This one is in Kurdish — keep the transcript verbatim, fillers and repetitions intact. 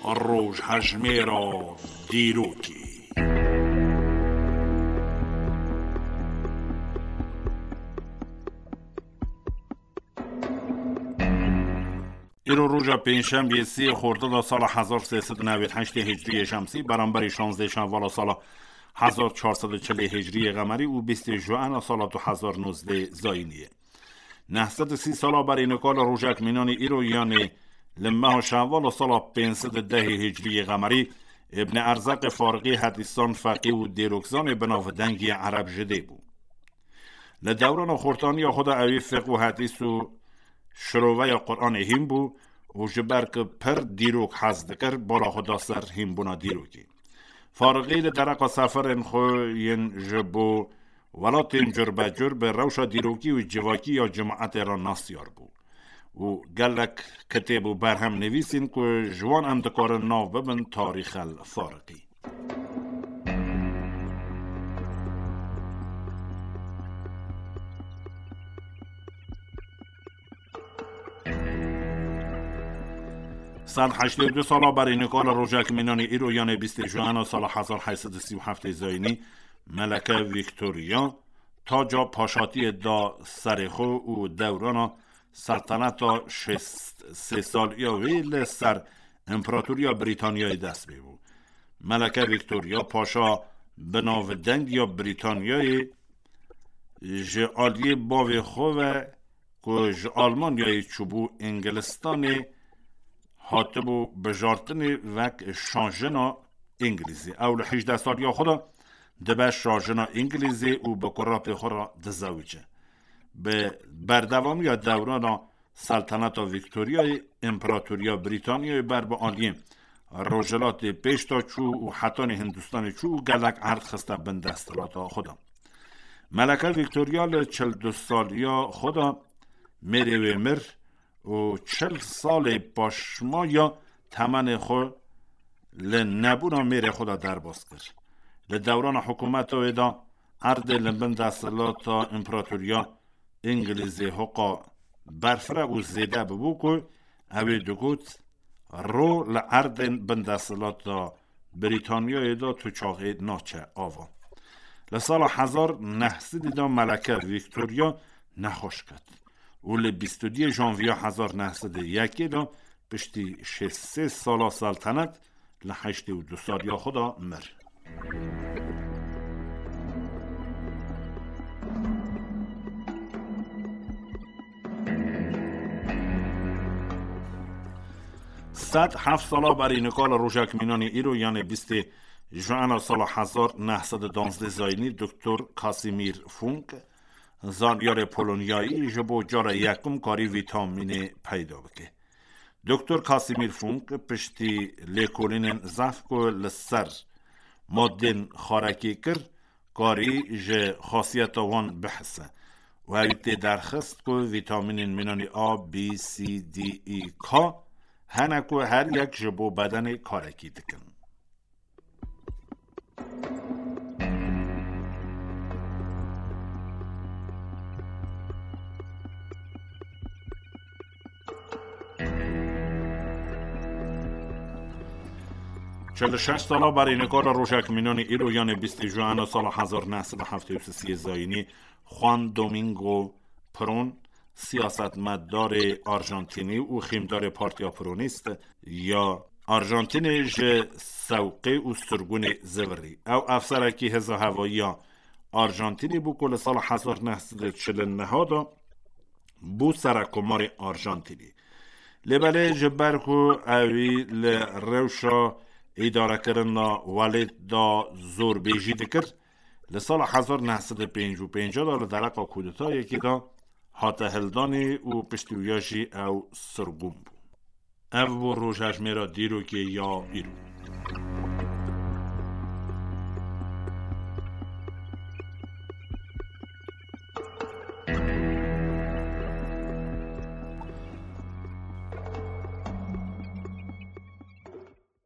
Rojhejmêra dîrokê. Îro roja pêncşembiyê sê Xordada sala hezar sê sed û newêd heştê Hicriyê Şemsî, beramberî şazdeh Şenvala sala hezar çar sed û çilê Hicriyê Qemerî û bîstê Juena sala du hezar nozdeh Zayîniyê. Neh sed û sî sala berî nika li rojek mînanî îro, yanê li meha Şenvala sala pênc sed û dehê Hicriyê Qemerî, Îbn Erzaqê Fariqî hedîsan, feqî û dêrokzanê bi navdengî Ereb ji dê bû. Li dewrana xortaniya xwe de ewî fiqh û hedîs û şiroveya Quranê hîn bû û ji ber ku pir dîrok hez dikir, bala xwe da ser hînbûna dîrokê. Fariqî li dereqa seferên xwe yên ji bo welatên curbecur bi rewşa dîrokî û civakî ya cimaetê re nasyar bû û gelek kitêb û berhem nivîsîn ku ji wan em dikarin nav bibin Tarîxel Fariqî. Sed heştê û du sala berî nika li rojek mînanî îro, yanê bîstê Juena sala hezar heyt sed û sî û heftê Zayînî, Meleke Victoria taca paşatiyê da serê xwe û dewrana selteneta şêst sê saliya wê li ser Împaratoriya Brîtanyayê dest pê bû. Meleke Victoria, paşa bi navdeng ya Brîtanyayê, ji aliyê bavê xwe ve ku ji Almanyayê çûbû Îngilistanê, hatibû bijartinê wek şajina Îngilîzê. Ew li hejdeh saliya xwe de dibe şajina Îngilîzê û bi kurapê xwe re dizewice. Bi berdewamiya dewrana Selteneta Vîktoryayê, Împaratoriya Brîtanyayê ber bi aliyên Rojhilatê pêş de çû û hetanî Hindistanê çû û gelek erd xiste bin desthilata xwe de. Meleke Vîktorya li çil du saliya xwe de mêrê wê mir û çil salê paşmaya temenê xwe li nebûna mêrê xwe de derbas kir. Li dewrana hikûmeta wê de erdê li bin desthilata Împaratoriya Îngilîzê hoqa berfireh û zêde bibû ku ew ê digot, ro li erdên bin desthilata Brîtanyayê de tu çaxê naçe ava. Li sala hezar neh sedî de Meleke Vîktorya nexweş ket û li bîst û duyê Janviya hezar neh sedî yekê de piştî şêst sê sala seltenet li heştê û du saliya xwe de mir. Sed heft sala berî nika li rojek mînanî îro, yanê bîstê Juena sala hezar neh sed û duwazdeh Zayînî, Doktor Kasimîr Funk, zanyarê Polonyayî, ji bo cara yekim karî vîtamînê peyda bike. Doktor Kasimîr Funk piştî lêkolînên zehf ku li ser madên xarekî kir, karî ji xasiyeta wan bihise û ew tê derxist ku vîtamînên mînanî A, B, C, D, E, K hene ku her yek ji bo bedenê karekî dikin. Çil û şeş sala berî nika li rojek mînanî îro, yanê bîstê Juena sala hezar neh sed û heftê û sê Zayînî, Juan Domingo Perón, siyasetmedarê Arjantînî û xîmdarê Partiya Peronîst ya Arjantînê ji sewqê û sirgûnê zivirî. Ew efserekî hêza hevayiya Arjantînê bû ku li sala hezar neh sed û çil û neh de bû serekomarê Arjantînê. Lê belê ji ber ku ewî li rewşa îdarekirina welêt de zorbêjî dikir, li sala hezar neh sed û pêncî û pênc de li dereqa kudetayekê de hate hildanê û piştî wîya jî ew sirgûn bû. Ev bû rojhejmêra dîrokê ya îro.